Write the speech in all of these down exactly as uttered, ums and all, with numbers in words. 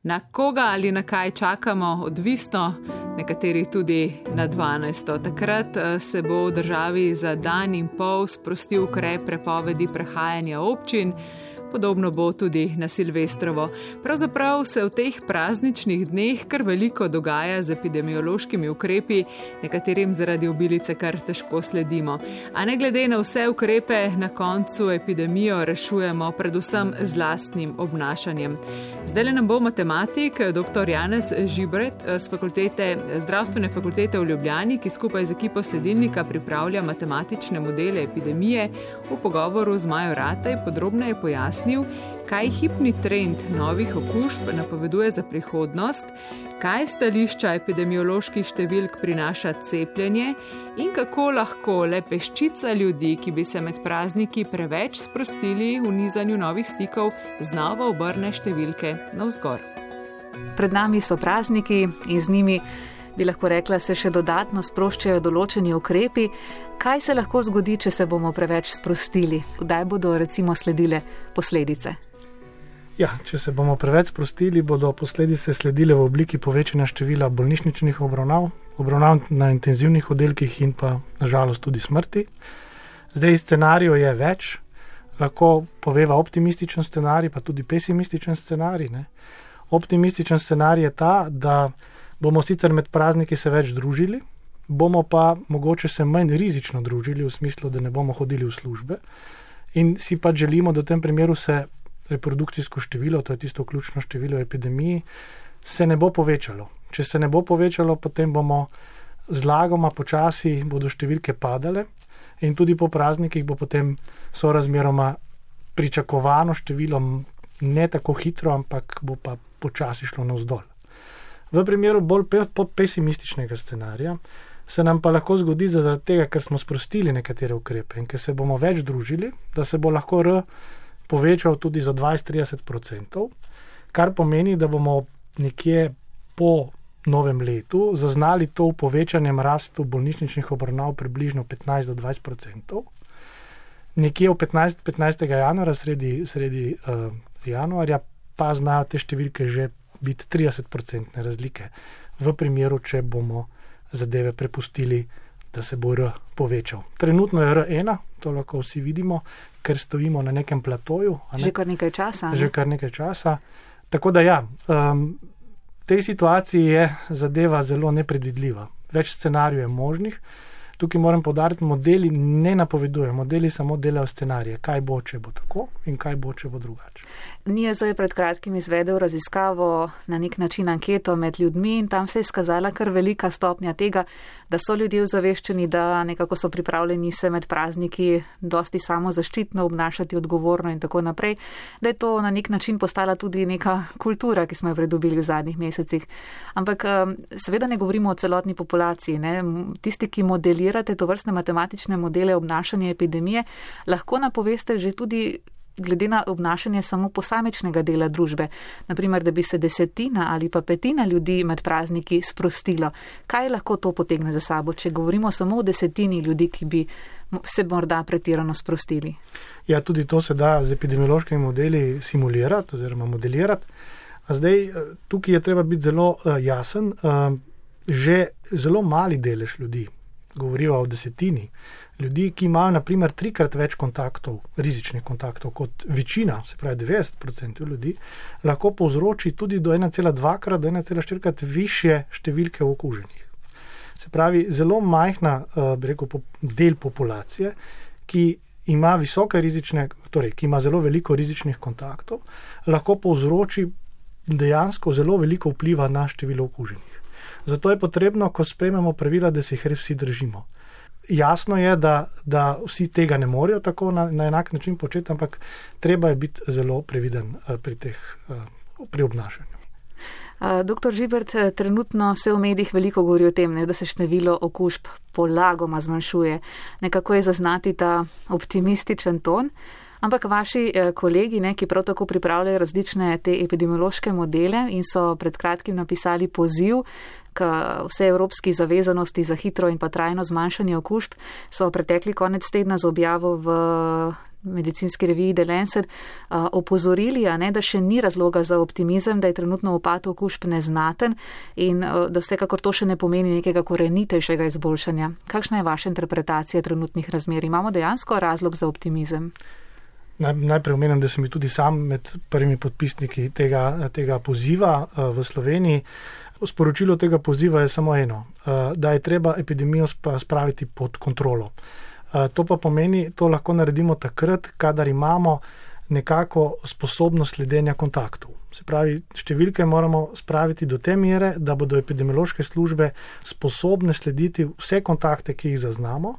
Na koga ali na kaj čakamo, odvisno, nekateri tudi na dvanajsto. Takrat se bo v državi za dan in pol sprostil ukrep prepovedi prehajanja občin. Podobno bo tudi na Silvestrovo. Pravzaprav se v teh prazničnih dneh kar veliko dogaja z epidemiološkimi ukrepi, nekaterim zaradi obilice kar težko sledimo. A ne glede na vse ukrepe, na koncu epidemijo rešujemo predvsem z lastnim obnašanjem. Zdaj nam bo matematik dr. Janez Žibret z fakultete, zdravstvene fakultete v Ljubljani, ki skupaj z ekipo Sledilnika pripravlja matematične modele epidemije, v pogovoru z Majo Rataj podrobneje pojasnil, kaj hipni trend novih okužb napoveduje za prihodnost, kaj stališča epidemioloških številk prinaša cepljenje in kako lahko le peščica ljudi, ki bi se med prazniki preveč sprostili v nizanju novih stikov, znova obrne številke navzgor. Pred nami so prazniki in z njimi, bi lahko rekla, se še dodatno sproščajo določeni ukrepi. Kaj se lahko zgodi, če se bomo preveč sprostili? Kdaj bodo recimo sledile posledice? Ja, če se bomo preveč sprostili, bodo posledice sledile v obliki povečanja števila bolnišničnih obravnav, obravnav na intenzivnih oddelkih in pa nažalost tudi smrti. Zdaj scenarijo je več, lahko poveva optimističen scenarij, pa tudi pesimističen scenarij. Ne? Optimističen scenarij je ta, da bomo sicer med prazniki se več družili, bomo pa mogoče se manj rizično družili, v smislu, da ne bomo hodili v službe in si pa želimo, da v tem primeru se reprodukcijsko število, to je tisto ključno število epidemiji, se ne bo povečalo. Če se ne bo povečalo, potem bomo zlagoma počasi, bodo številke padale in tudi po praznikih bo potem sorazmeroma pričakovano število ne tako hitro, ampak bo pa počasi šlo navzdol. V primeru bolj pesimističnega scenarija se nam pa lahko zgodi zaradi tega, ker smo sprostili nekatere ukrepe in ker se bomo več družili, da se bo lahko R povečal tudi za dvajset do trideset odstotkov, kar pomeni, da bomo nekje po novem letu zaznali to v povečanjem rastu bolnišničnih obravnav približno petnajst do dvajset odstotkov. Nekje v petnajstega januarja, sredi, sredi uh, januarja, pa znajo te številke že biti trideset odstotne razlike v primeru, če bomo zadeve prepustili, da se bo R povečal. Trenutno je R ena, to lahko vsi vidimo, ker stojimo na nekem platoju. Ne? Že kar nekaj časa. Že kar nekaj časa. Tako da ja, um, v tej situaciji je zadeva zelo nepredvidljiva. Več scenarijev je možnih. Tukaj moram poudariti, modeli ne napovedujejo, modeli samo delajo scenarije, kaj bo, če bo tako in kaj bo, če bo drugače. N I E Z je pred kratkim izvedel raziskavo, na nek način anketo med ljudmi in tam se je izkazala kar velika stopnja tega, da so ljudje ozaveščeni, da nekako so pripravljeni se med prazniki dosti samozaščitno obnašati, odgovorno in tako naprej, da je to na nek način postala tudi neka kultura, ki smo jo pridobili v zadnjih mesecih. Ampak seveda ne govorimo o celotni populaciji, ne? Tisti, ki modelirate to vrstne matematične modele obnašanja epidemije, lahko napoveste že tudi glede na obnašanje samo posamičnega dela družbe. Naprimer, da bi se desetina ali pa petina ljudi med prazniki sprostilo. Kaj lahko to potegne za sabo, če govorimo samo o desetini ljudi, ki bi se morda pretirano sprostili? Ja, tudi to se da z epidemiološkimi modeli simulirati oziroma modelirati. Zdaj, tukaj je treba biti zelo uh, jasen. Uh, že zelo mali delež ljudi, govorijo o desetini, ljudi, ki imajo naprimer trikrat več kontaktov, rizičnih kontaktov kot večina, se pravi devetdeset odstotkov ljudi, lahko povzroči tudi do ena cela dva krat, do ena cela štiri krat višje številke okuženih. Se pravi, zelo majhna, bi rekel, del populacije, ki ima visoke rizične, torej, ki ima zelo veliko rizičnih kontaktov, lahko povzroči dejansko zelo veliko vpliva na število okuženih. Zato je potrebno, ko sprejmemo pravila, da se jih res vsi držimo. Jasno je, da, da vsi tega ne morejo tako na, na enak način početi, ampak treba je biti zelo previden pri teh, pri obnašanju. Doktor Žibert, trenutno se v medijih veliko govori o tem, ne, da se število okužb polagoma zmanjšuje. Nekako je zaznati ta optimističen ton. Ampak vaši kolegi, ne, ki prav tako pripravljajo različne te epidemiološke modele in so pred kratkim napisali poziv k vse evropski zavezanosti za hitro in pa trajno zmanjšanje okužb, so pretekli konec tedna z objavo v medicinski reviji The Lancet uh, opozorili, a ne, da še ni razloga za optimizem, da je trenutno upad okužb neznaten in uh, da vsekakor to še ne pomeni nekega korenitejšega izboljšanja. Kakšna je vaša interpretacija trenutnih razmer? Imamo dejansko razlog za optimizem? Naj, najprej omenim, da sem tudi sam med prvimi podpisniki tega, tega poziva uh, v Sloveniji. Sporočilo tega poziva je samo eno, uh, da je treba epidemijo spraviti pod kontrolo. To pa pomeni, to lahko naredimo takrat, kadar imamo nekako sposobnost sledenja kontaktov. Se pravi, številke moramo spraviti do te mere, da bodo epidemiološke službe sposobne slediti vse kontakte, ki jih zaznamo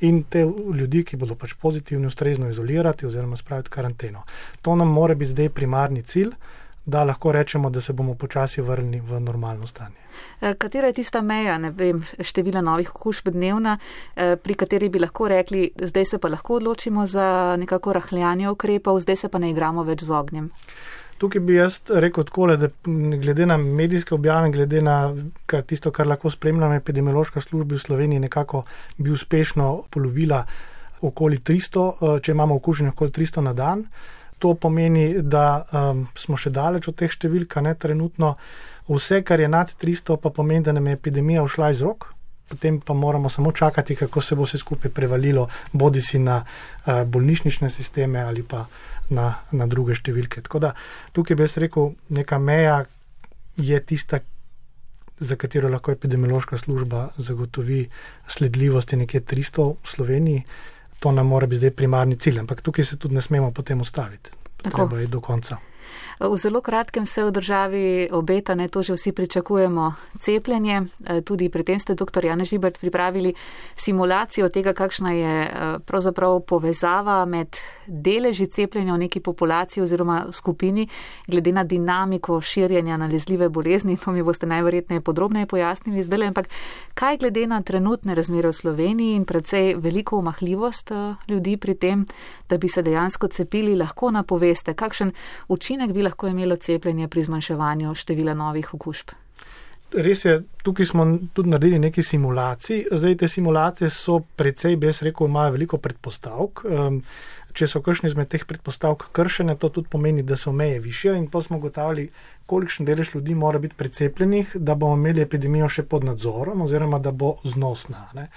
in te ljudi, ki bodo pač pozitivni, ustrezno izolirati oziroma spraviti karanteno. To nam mora biti zdaj primarni cilj, da lahko rečemo, da se bomo počasi vrnili v normalno stanje. Katera je tista meja, ne vem, števila novih okužb dnevna, pri kateri bi lahko rekli, zdaj se pa lahko odločimo za nekako rahljanje ukrepov, zdaj se pa ne igramo več z ognjem? Tukaj bi jaz rekel takole, da glede na medijske objave, glede na kar tisto, kar lahko spremljam, epidemiološka služba v Sloveniji nekako bi uspešno polovila okoli tristo, če imamo okuženih okoli tristo na dan. To pomeni, da um, smo še daleč od teh številk, ne trenutno. Vse, kar je nad tristo, pa pomeni, da nam je epidemija ušla iz rok. Potem pa moramo samo čakati, kako se bo vse skupaj prevalilo, bodi si na uh, bolnišnične sisteme ali pa na, na druge številke. Tako da tukaj bi jaz rekel, neka meja je tista, za katero lahko epidemiološka služba zagotovi sledljivosti nekje tristo v Sloveniji. To nam mora biti zdaj primarni cilj, ampak tukaj se tudi ne smemo potem ustaviti. Treba je do konca. V zelo kratkem se v državi obeta, ne, to že vsi pričakujemo, cepljenje. Tudi pri tem ste, doktor Janez Žibert, pripravili simulacijo tega, kakšna je pravzaprav povezava med deleži cepljenja v neki populaciji oziroma skupini, glede na dinamiko širjenja nalezljive bolezni. To mi boste najverjetneje podrobneje pojasnili zdaj, ampak kaj glede na trenutne razmere v Sloveniji in predvsej veliko omahljivost ljudi pri tem, da bi se dejansko cepili, lahko napoveste, kakšen učinek bi lahko imelo cepljenje pri zmanjševanju števila novih okužb? Res je, tukaj smo tudi naredili nekaj simulacij. Zdaj te simulacije so precej, bi jaz rekel, imajo veliko predpostavk. Um, če so kakšne izmed teh predpostavk kršene, to tudi pomeni, da so meje višje in pa smo ugotavljali, kolikšen delež ljudi mora biti precepljenih, da bomo imeli epidemijo še pod nadzorom oziroma da bo znosna. Ne?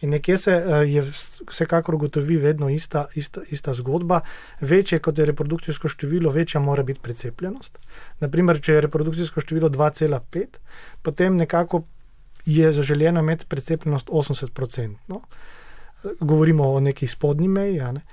In nekje se je vsekakor ugotovi vedno ista, ista, ista zgodba. Večje kot je reprodukcijsko število, večja mora biti precepljenost. Naprimer, če je reprodukcijsko število dva cela pet, potem nekako je zaželjeno imeti precepljenost osemdeset procentov. Govorimo o neki spodnji meji. Ne?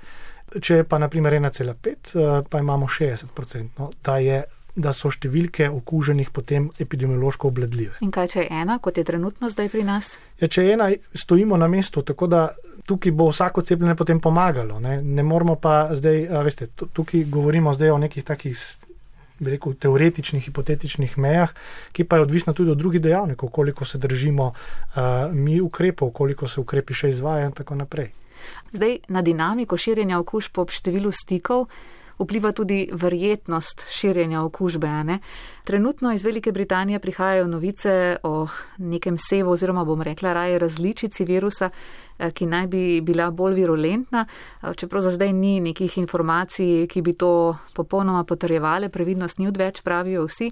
Če je pa naprimer ena cela pet, pa imamo šestdeset procentov. Da je da so številke okuženih potem epidemiološko obvladljive. In kaj, če je ena, kot je trenutno zdaj pri nas? Ja, če je ena, stojimo na mestu, tako da tukaj bo vsako cepljenje potem pomagalo. Ne, ne moramo pa zdaj, veste, tukaj govorimo zdaj o nekih takih, bi rekel, teoretičnih, hipotetičnih mejah, ki pa je odvisno tudi od drugih dejavnikov, koliko se držimo uh, mi ukrepov, koliko se ukrepi še izvajajo in tako naprej. Zdaj, na dinamiko širjenja okužb ob številu stikov vpliva tudi verjetnost širjenja okužbe. Ne? Trenutno iz Velike Britanije prihajajo novice o nekem sevu oziroma bom rekla raje različici virusa, ki naj bi bila bolj virulentna, čeprav za zdaj ni nekih informacij, ki bi to popolnoma potrjevale, previdnost ni odveč, pravijo vsi.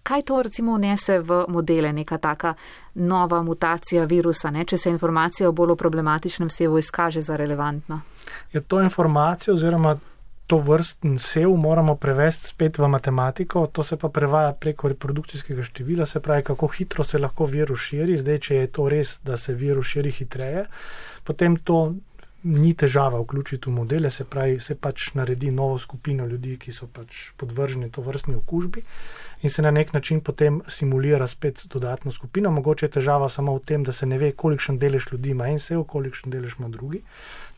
Kaj to recimo vnese v modele, neka taka nova mutacija virusa, ne? Če se informacija o bolj problematičnem sevu izkaže za relevantno? Je to informacija oziroma to vrsten sev moramo prevesti spet v matematiko, to se pa prevaja preko reprodukcijskega števila, se pravi, kako hitro se lahko virus širi. Zdaj, če je to res, da se virus širi hitreje, potem to ni težava vključiti v modele, se pravi, se pač naredi novo skupino ljudi, ki so pač podvrženi to vrstni okužbi in se na nek način potem simulira spet dodatno skupino. Mogoče je težava samo v tem, da se ne ve, kolikšen delež ljudi ima en sev, kolikšen delež ima drugi.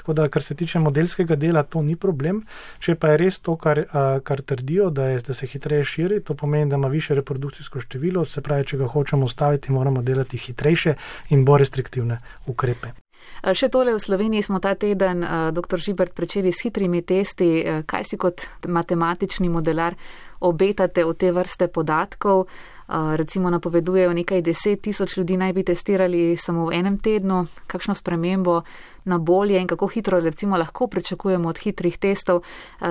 Tako da, kar se tiče modelskega dela, to ni problem. Če pa je res to, kar, kar trdijo, da, je, da se hitreje širi, to pomeni, da ima više reprodukcijsko število, se pravi, če ga hočemo ustaviti, moramo delati hitrejše in bolj restriktivne ukrepe. Še tole, v Sloveniji smo ta teden, doktor Žibert, pričeli s hitrimi testi. Kaj si kot matematični modelar obetate od te vrste podatkov? Recimo napovedujejo nekaj deset tisoč ljudi naj bi testirali samo v enem tednu. Kakšno spremembo na bolje in kako hitro recimo lahko pričakujemo od hitrih testov,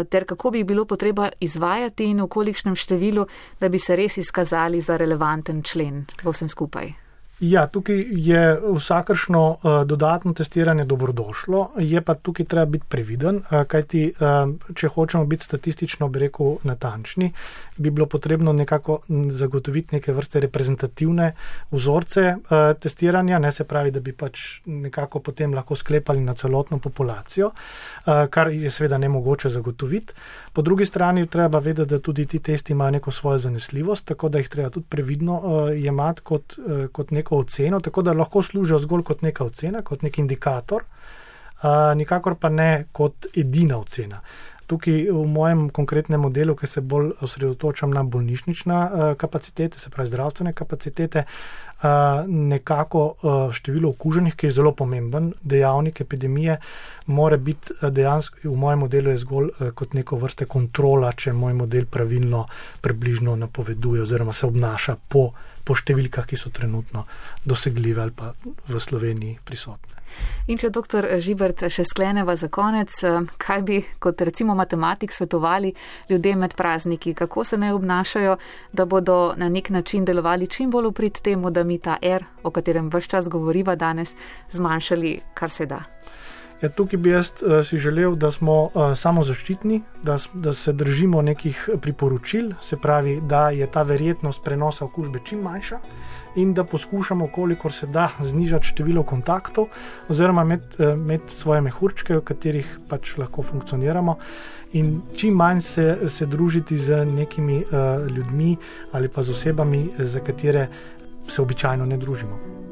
ter kako bi bilo potreba izvajati in v kolikšnem številu, da bi se res izkazali za relevanten člen v vsem skupaj? Ja, tukaj je vsakršno uh, dodatno testiranje dobrodošlo, je pa tukaj treba biti previden, uh, kajti uh, če hočemo biti statistično, bi rekel, natančni, bi bilo potrebno nekako zagotoviti neke vrste reprezentativne vzorce uh, testiranja, ne se pravi, da bi pač nekako potem lahko sklepali na celotno populacijo, uh, kar je seveda nemogoče zagotoviti. Po drugi strani treba vedeti, da tudi ti testi imajo neko svojo zanesljivost, tako da jih treba tudi previdno uh, jemati kot, uh, kot neko oceno, tako da lahko služijo zgolj kot neka ocena, kot nek indikator, uh, nikakor pa ne kot edina ocena. Tukaj v mojem konkretnem modelu, ki se bolj osredotočam na bolnišnična uh, kapacitete, se pravi zdravstvene kapacitete, uh, nekako uh, število okuženih, ki je zelo pomemben dejavnik epidemije, mora biti uh, dejansko, v mojem modelu je zgolj uh, kot neko vrste kontrola, če moj model pravilno približno napoveduje oziroma se obnaša po, po številkah, ki so trenutno dosegljive ali pa v Sloveniji prisotne. In če doktor Žibert še skleneva za konec, kaj bi kot recimo matematik svetovali ljudem med prazniki, kako se naj obnašajo, da bodo na nek način delovali čim bolj v prid temu, da mi ta R, o katerem ves čas govoriva danes, zmanjšali kar se da? Ja, tukaj bi jaz uh, si želel, da smo uh, samozaščitni, da, da se držimo nekih priporočil, se pravi, da je ta verjetnost prenosa okužbe čim manjša in da poskušamo, kolikor se da, znižati število kontaktov oziroma imeti, uh, imeti svoje mehurčke, v katerih pač lahko funkcioniramo in čim manj se, se družiti z nekimi uh, ljudmi ali pa z osebami, za katere se običajno ne družimo.